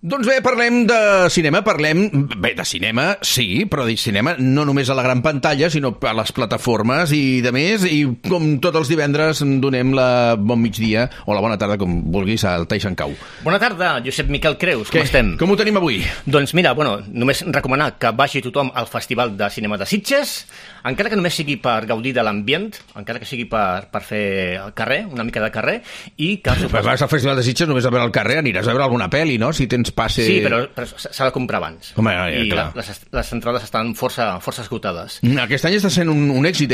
Doncs bé, parlem de cinema, de cinema, sí, però de cinema no només a la gran pantalla, sinó a les plataformes i de més, i com tots els divendres donem la bon migdia, o la bona tarda, com vulguis, al Taixan Cau. Bona tarda, Josep Miquel Creus, com estem? Com ho tenim avui? Doncs mira, només recomanar que vagi tothom al Festival de Cinema de Sitges, encara que només sigui per gaudir de l'ambient, encara que sigui per fer el carrer, una mica de carrer, i que... Vas al Festival de Sitges només a veure el carrer, aniràs a veure alguna pel·li, no?, si tens passe... Sí, però s'ha de comprar abans. Home, i clar. Les entrades estan força esgotades. Aquest any està sent un èxit,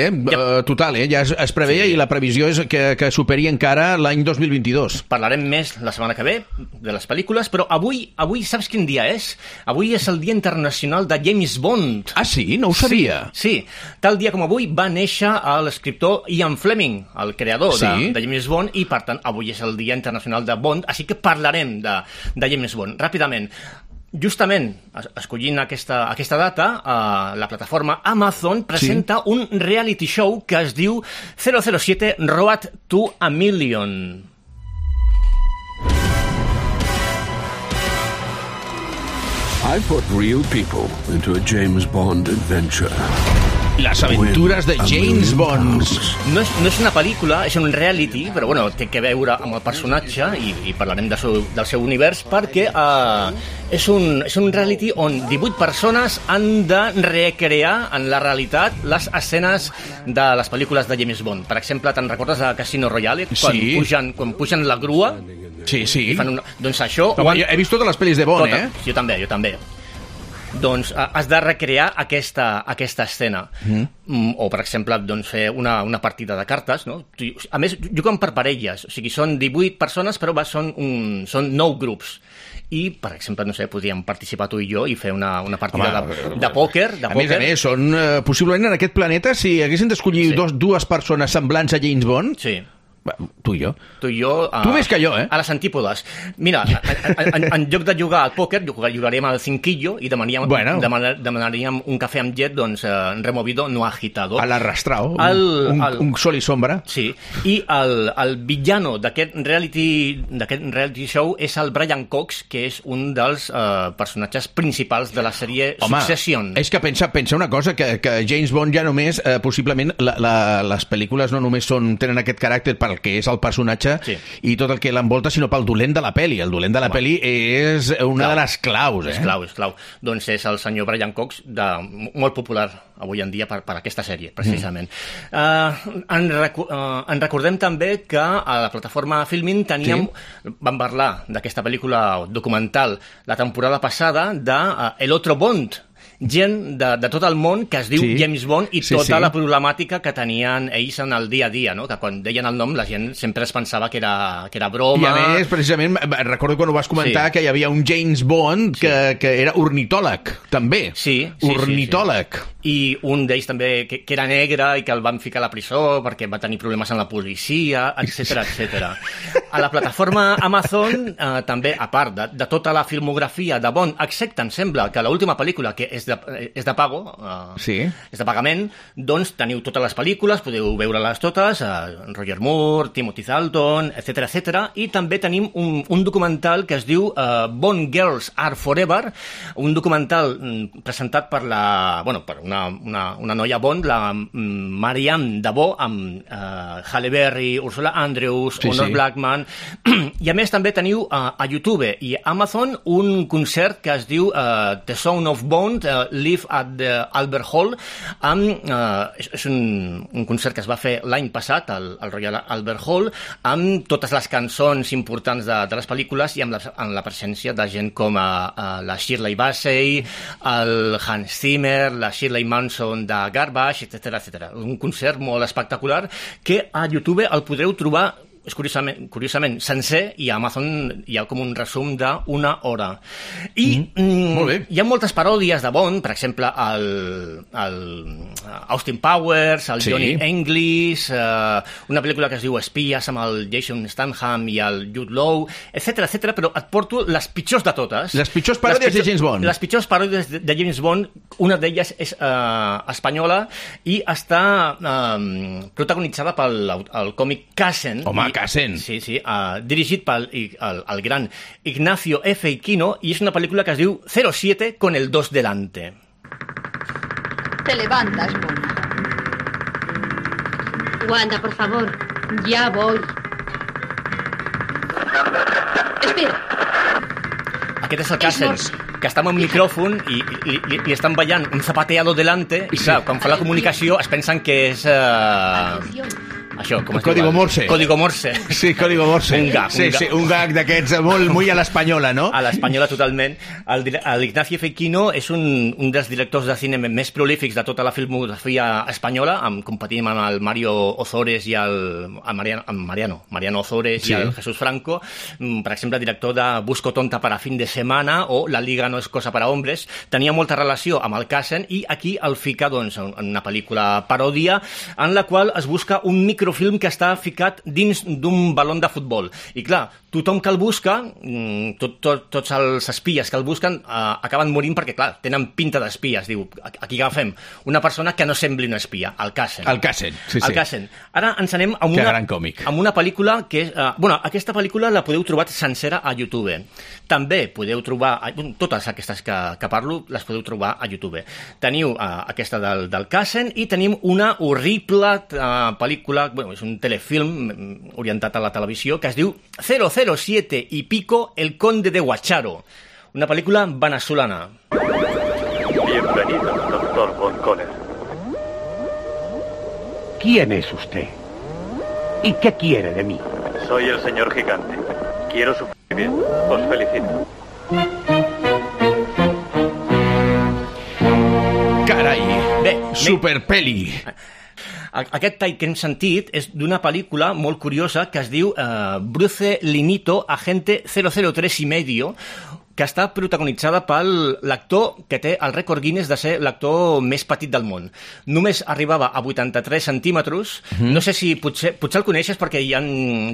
total, ja es preveia, sí. I la previsió és que superi encara l'any 2022. Parlarem més la setmana que ve de les pel·lícules, però avui saps quin dia és? Avui és el Dia Internacional de James Bond. Ah, sí? No ho sabia. Sí. Tal dia com avui va néixer l'escriptor Ian Fleming, el creador de James Bond, i per tant avui és el Dia Internacional de Bond, així que parlarem de James Bond. Ràpidament, justament escollint aquesta data, la plataforma Amazon presenta un reality show que es diu 007 Road to a Million. I put real people into a James Bond adventure. Les aventures de James Bond. No és una pel·lícula, és un reality, però té que veure amb el personatge i parlarem del seu univers, perquè és un reality on 18 persones han de recrear en la realitat les escenes de les pel·lícules de James Bond. Per exemple, te'n recordes de Casino Royale? Quan pugen la grua? Sí. Doncs això... He vist totes les pel·lis de Bond, Jo també. Doncs has de recrear aquesta escena. O, per exemple, fer una partida de cartes, no? A més, juguen per parelles, o sigui, són 18 persones, però són 9 grups. I, per exemple, podríem participar tu i jo i fer una partida de pòquer. A més, són possiblement en aquest planeta, si haguessin d'escollir dues persones semblants a James Bond... Sí. Tu i jo. Tu més que jo, a les antípodes. Mira, en lloc de jugar al pòquer, jugaríem al cinquillo i demanaríem un cafè amb llet, removido, no agitado. A l'arrastrao, un sol i sombra. Sí, i el villano d'aquest reality show és el Brian Cox, que és un dels personatges principals de la sèrie Succession. És que pensa una cosa, que James Bond ja només, possiblement, les pel·lícules no només tenen aquest caràcter pel que és el personatge i tot el que l'envolta, sinó pel dolent de la pel·li. El dolent de la pel·li és una de les claus. És clau. Doncs és el senyor Brian Cox, molt popular avui en dia per aquesta sèrie, precisament. En recordem també que a la plataforma Filmin vam parlar d'aquesta pel·lícula documental la temporada passada de El Otro Bond, gent de tot el món que es diu James Bond i tota la problemàtica que tenien ells en el dia a dia, no? Que quan deien el nom la gent sempre es pensava que era broma. I a més, precisament, recordo quan ho vas comentar que hi havia un James Bond que era ornitòleg, també. Ornitòleg. I un d'ells també que era negre i que el van ficar a la presó perquè va tenir problemes amb la policia, etc. A la plataforma Amazon també, a part de tota la filmografia de Bond, excepte, em sembla, que l'última pel·lícula, que és de pago, és de pagament, doncs teniu totes les pel·lícules, podeu veure-les totes, Roger Moore, Timothy Dalton, etc. I també tenim un documental que es diu Bond Girls Are Forever, un documental presentat per una noia Bond, la Marianne Dabo, amb Halle Berry, Ursula Andrews, Honor Blackman, i a més també teniu a YouTube i Amazon un concert que es diu The Sound of Bond, Live at the Albert Hall, és un concert que es va fer l'any passat al Royal Albert Hall, amb totes les cançons importants de les pel·lícules i amb la presència de gent com la Shirley Bassey, el Hans Zimmer, la Shirley Manson de Garbage, etc. Un concert molt espectacular que a YouTube el podreu trobar és curiosament sencer, i a Amazon hi ha com un resum d'una hora. I hi ha moltes paròdies de Bond, per exemple el Austin Powers, el Johnny English, una pel·lícula que es diu Espies amb el Jason Statham i el Jude Law, etc, però et porto les pitjors de totes. Les pitjors paròdies de James Bond. Les pitjors paròdies de James Bond, una d'elles és espanyola i està protagonitzada pel còmic Cassen. Home, Cassen. Sí, dirigit pel el gran Ignacio F. Iquino, i és una pel·lícula que es diu 07 con el 2 delante. Te levantas, mona. Wanda, por favor. Ya voy. Espera. Aquest és el Cassen, que està amb un micròfon i li estan ballant un zapateado delante, i clar, quan fa la comunicació es pensen que és... Això, com es diu? Código Morse. Código Morse. Sí, Código Morse. Un gag. Sí, un gag d'aquests molt a l'espanyola, no? A l'espanyola, totalment. L'Ignacio Feiquino és un dels directors de cine més prolífics de tota la filmografia espanyola, competint amb el Mario Ozores i Mariano Ozores i el Jesús Franco. Per exemple, director de Busco tonta para fin de semana o La liga no es cosa para hombres. Tenia molta relació amb el Cassen i aquí el fica doncs, en una pel·lícula paròdia en la qual es busca un microfilm que està ficat dins d'un balón de futbol. I clar, tothom que el busca, tots els espies que el busquen, acaben morint perquè, clar, tenen pinta d'espies. Diu, aquí agafem una persona que no sembli una espia, el Cassen. El Cassen, sí. El Cassen. Ara ens anem amb una pel·lícula que és... aquesta pel·lícula la podeu trobar sencera a YouTube. També podeu trobar... Totes aquestes que parlo les podeu trobar a YouTube. Teniu aquesta del Cassen i tenim una horrible pel·lícula, és un telefilm orientat a la televisió que es diu 007 y pico, el conde de Guacharo. Una película venezolana. Bienvenido, doctor Von Conner. ¿Quién es usted? ¿Y qué quiere de mí? Soy el señor Gigante. Quiero su bien. Os felicito. Carai, superpeli. Aquest tall que hem sentit és d'una pel·lícula molt curiosa que es diu Bruce Linito, agente 003 y medio, que està protagonitzada per l'actor que té el rècord Guinness de ser l'actor més petit del món. Només arribava a 83 centímetres. No sé si potser el coneixes perquè hi ha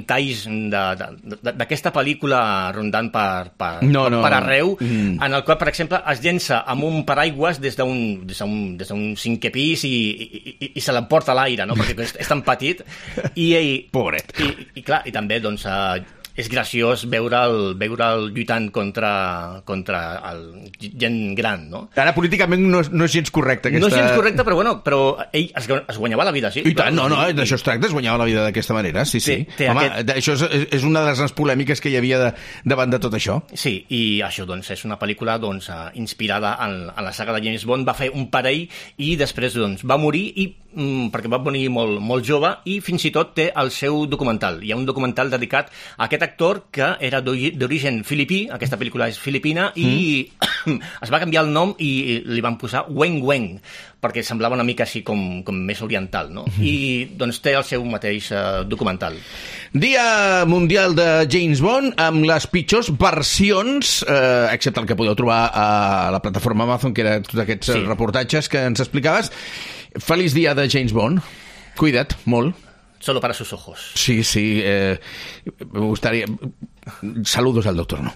talls d'aquesta pel·lícula rondant per arreu, en el qual, per exemple, es llença amb un paraigües des d'un cinquè pis i se l'emporta a l'aire, no? Perquè és tan petit. Pobret. I clar, i també, doncs... és graciós veure'l lluitant contra el gent gran, no? Ara, políticament, no és gens correcte. No és gens correcte, però ell es guanyava la vida, sí. I tant, d'això es tracta, es guanyava la vida d'aquesta manera, sí. Home, això és una de les grans polèmiques que hi havia davant de tot això. Sí, i això, doncs, és una pel·lícula inspirada en la saga de James Bond. Va fer un parell i després va morir perquè va morir molt jove i fins i tot té el seu documental. Hi ha un documental dedicat a aquest actor que era d'origen filipí, aquesta pel·lícula és filipina, i es va canviar el nom i li van posar Weng Weng, perquè semblava una mica així com més oriental, no? I doncs té el seu mateix documental. Dia Mundial de James Bond, amb les pitjors versions, excepte el que podeu trobar a la plataforma Amazon, que era tots aquests reportatges que ens explicaves. Feliç dia de James Bond. Cuida't, molt. Solo para sus ojos. Sí, me gustaría... Saludos al doctor, ¿no?